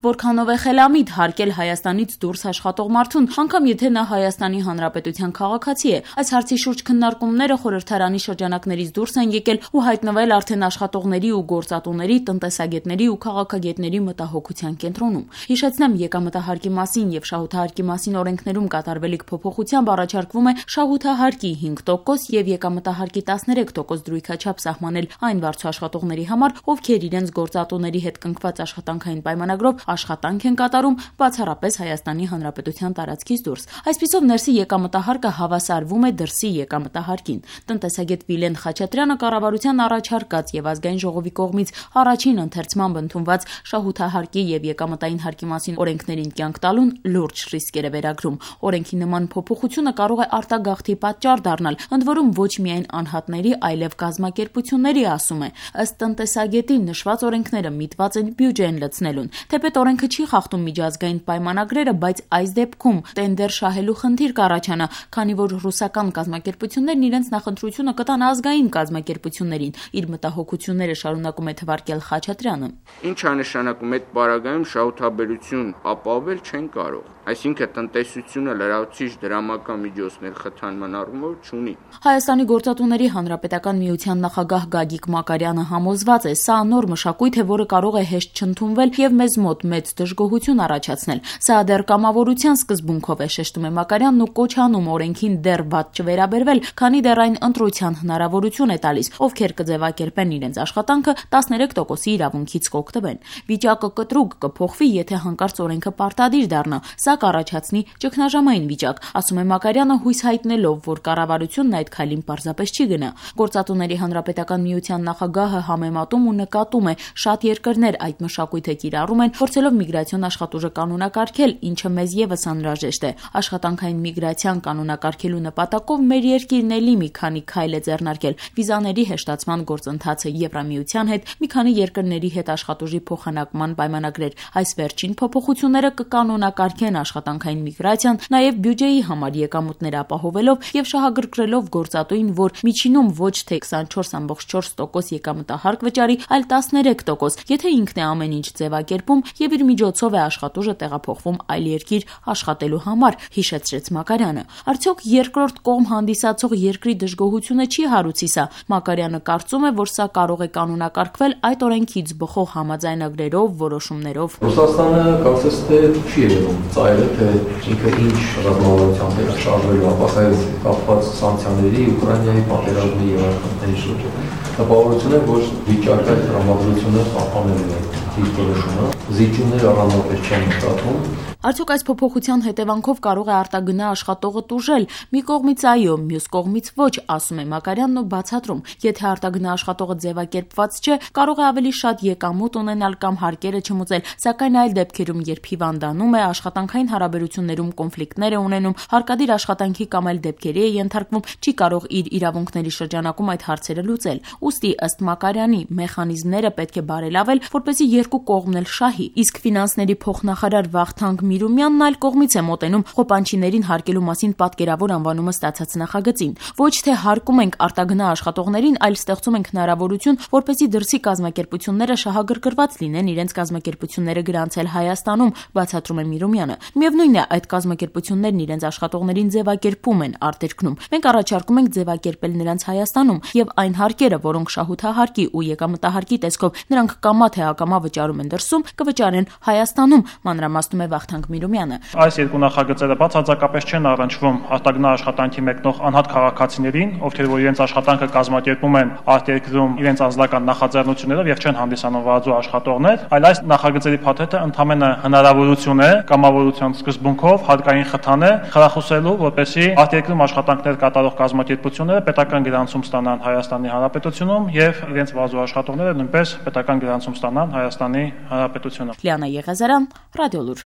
Որքանով է խելամիտ հարկել Հայաստանից դուրս աշխատող մարդուն, անգամ եթե նա Հայաստանի Հանրապետության քաղաքացի է։ Այս հարցի շուրջ քննարկումները խորհրդարանի շրջանակներից դուրս են եկել ու հայտնվել արդեն աշխատողների ու գործատուների, տնտեսագետների ու քաղաքագետների մտահոգության կենտրոնում։ Հիշեցնեմ, եկամտահարկի մասին եւ շահութահարկի մասին օրենքներում կատարվելիք փոփոխությամբ առաջարկվում է շահութահարկի 5% եւ եկամտահարկի 13% դրույքաչափ սահմանել այն վարձու աշխատողների համար, ովքեր իրենց գործատուների հետ կնքված աշխատանքային պայմանագրով աշխատանք են կատարում բացառապես Հայաստանի Հանրապետության տարածքից դուրս։ Այսպիսով ներսի եկամտահարկը հավասարվում է դրսի եկամտահարկին։ Տնտեսագետ Վիլեն Խաչատրյանը կառավարության առաջարկած եւ ազգային ժողովի կողմից առաջին ընթերցմամբ ընդունված շահութահարկի եւ եկամտային հարկի մասին օրենքներին կյանք տալուն լուրջ ռիսկեր է վերագրում։ Օրենքի նման փոփոխությունը կարող է արտագաղթի պատճառ դառնալ, ընդ որում ոչ միայն անհատների, այլև կազմակերպությունների, ասում է։ Ըստ տնտեսագետի նշված օրենքները միտված են բյուջեն լցնելուն։ Թեպետ օրենքը չի խախտում միջազգային պայմանագրերը, բայց այս դեպքում տենդեր շահելու խնդիր կառաջանա, քանի որ ռուսական կազմակերպություններն իրենց նախընտրությունը կտան ազգային կազմակերպություններին։ Իր մտահոգությունները շարունակում է թվարկել Խաչատրյանը։ Ինչ է նշանակում այդ պարագայում շահութաբերություն ապահովել չեն կարող։ Այսինքն տնտեսությունը լրացուցիչ դրամական միջոցներ խթանման առումով չունի։ Հայաստանի գործատուների հանրապետական միության նախագահ Գագիկ Մակարյանը համոզված է, սա նոր մշակույթ է, որը կարող է հեշտ չընդունվել եւ մեզ մոտ մեծ դժգոհություն առաջացնել։ Սա դեռ կամավորության սկզբունքով է, շեշտում է Մակարյանն ու կոչ անում օրենքին դեռ վատ չվերաբերվել, քանի դեռ այն ընտրության հնարավորություն է տալիս, ովքեր կձևակերպեն իրենց աշխատանքը 13%-ի իրավունքից կօգտվեն։ Վիճակը կտրուկ կփոխվի, եթե հանկարծ օրենքը պարտադիր դառնա։ Սա կառաջացնի ճգնաժամային վիճակ, ասում է Մակարյանը, հույս հայտնելով, որ կառավարությունն այդ քայլին պարզապես չի գնա։ Գործատուների հանրապետական միության նախագահը համեմատում ու նկատում է, շատ երկրներ այդ մշակույթը կիրառում են, փորձելով միգրացիոն աշխատուժը կանոնակարգել, ինչը մեզ եւս անհրաժեշտ է։ Աշխատանքային միգրացիան կանոնակարգելու նպատակով մեր երկիրն էլի մի քանի քայլ է ձեռնարկել։ Վիզաների հեշտացման գործընթացը Եվրամիության հետ, մի քանի երկրների հետ աշխատուժի փոխանակման պայմանագրեր։ Այս վերջին փոփոխությունները կկանոնակարգեն աշխատանքային միգրացիան, նաև բյուջեի համար եկամուտներ ապահովելով եւ շահագրգռելով գործատուին, որ միջինում ոչ թե 24.4% եկամտահարկ վճարի, այլ 13%, եթե ինքն է ամեն ինչ ձևակերպում եւ իր միջոցով է աշխատուժը տեղափոխվում այլ երկիր աշխատելու համար, հիշեցրեց Մակարյանը։ Արդյոք երկրորդ կողմ հանդիսացող երկրի դժգոհությունը չի հարուցի սա։ Մակարյանը կարծում է, որ սա կարող է կանոնակարգվել այդ օրենքից բխող համաձայնագրերով, որոշումներով։ Ռուսաստանը կարծես թե չի ելնում ծայրը, թե ինքը ինչ ռազմավարությամբ է շարժվելու ապակայից կապված սանկցիաների, Ուկրաինայի պատերազմի եւ այլ շուրջ։ Տպավորություն է, որ վիճակը տրամադրությունը պահպանելու է իր որոշումը, զիջումները առանձնապես չեն նկատվում։ Արդյոք այս փոփոխության հետևանքով կարող է արտագնա աշխատողը տուժել։ Մի կողմից այո, մյուս կողմից ոչ, ասում է Մակարյանն ու բացատրում։ Եթե արտագնա աշխատողը ձևակերպված չէ, կարող է ավելի շատ եկամուտ ունենալ կամ հարկերը չմուծել, սակայն այլ դեպքերում, երբ հիվանդանում է, աշխատանքային հարաբերություններում կոնֆլիկտներ է ունենում, հարկադիր աշխատանքի կամ այլ դեպքերի է ենթարկվում, չի կարող իր իրավունքների շրջանակում այդ հարցերը լուծել։ Ուստի ըստ Մակարյանի մեխանիզմները պետք է բարելավել, որպեսզի երկու կողմն էլ շահի։ Իսկ ֆինանսների փոխնախարար Վախթանգ Միրումյանն այլ կողմից է մոտենում խոպանչիներին հարկելու մասին պատկերավոր անվանումը ստացած նախագծին։ Ոչ թե հարկում ենք արտագնա աշխատողներին, այլ ստեղծում ենք հնարավորություն, որպեսզի դրսի կազմակերպությունները շահագրգռված լինեն իրենց կազմակերպությունները գրանցել Հայաստանում, բացատրում է Միրումյանը։ Միևնույնն է, այդ կազմակերպություններն իրենց աշխատողներին ձևակերպում են արտերկնում։ Մենք առաջարկում ենք ձևակերպել նրանց Հայաստանում եւ այն հարկերը, որոնք շահութահարկի ու եկամտահարկի տեսքով նրանք կամա թե ակամա վճարում են դրսում, կվճարեն Հայաստանում, մանրամասնում է Վախթանգ Միրումյանը։ Այս երկու նախագծերը բացարձակապես չեն առնչվում արտագնա աշխատանքի մեկնող անհատ քաղաքացիներին, ովքեր որ իրենց աշխատանքը կազմակերպում են արտերկրում իրենց անձնական նախաձեռնություններով եւ չեն հանդիսանում վարձու աշխատողներ, այլ այս նախագծերի փաթեթը ընդհանրապես հնարավորություն է կամավորության սկզբունքով հարկային խթան է խրախուսելու, որպեսզի արտերկրում աշխատանքներ կատարող կազմակերպությունները պետական գրանցում ստանան Հայաստանի Հանրապետությունում եւ իրենց վարձու աշխատողները նույնպես պետական գրանցում ստանան Հայաստանի Հանրապետությունում։ Լիանա Եղազարյան, Ռադիոլուր։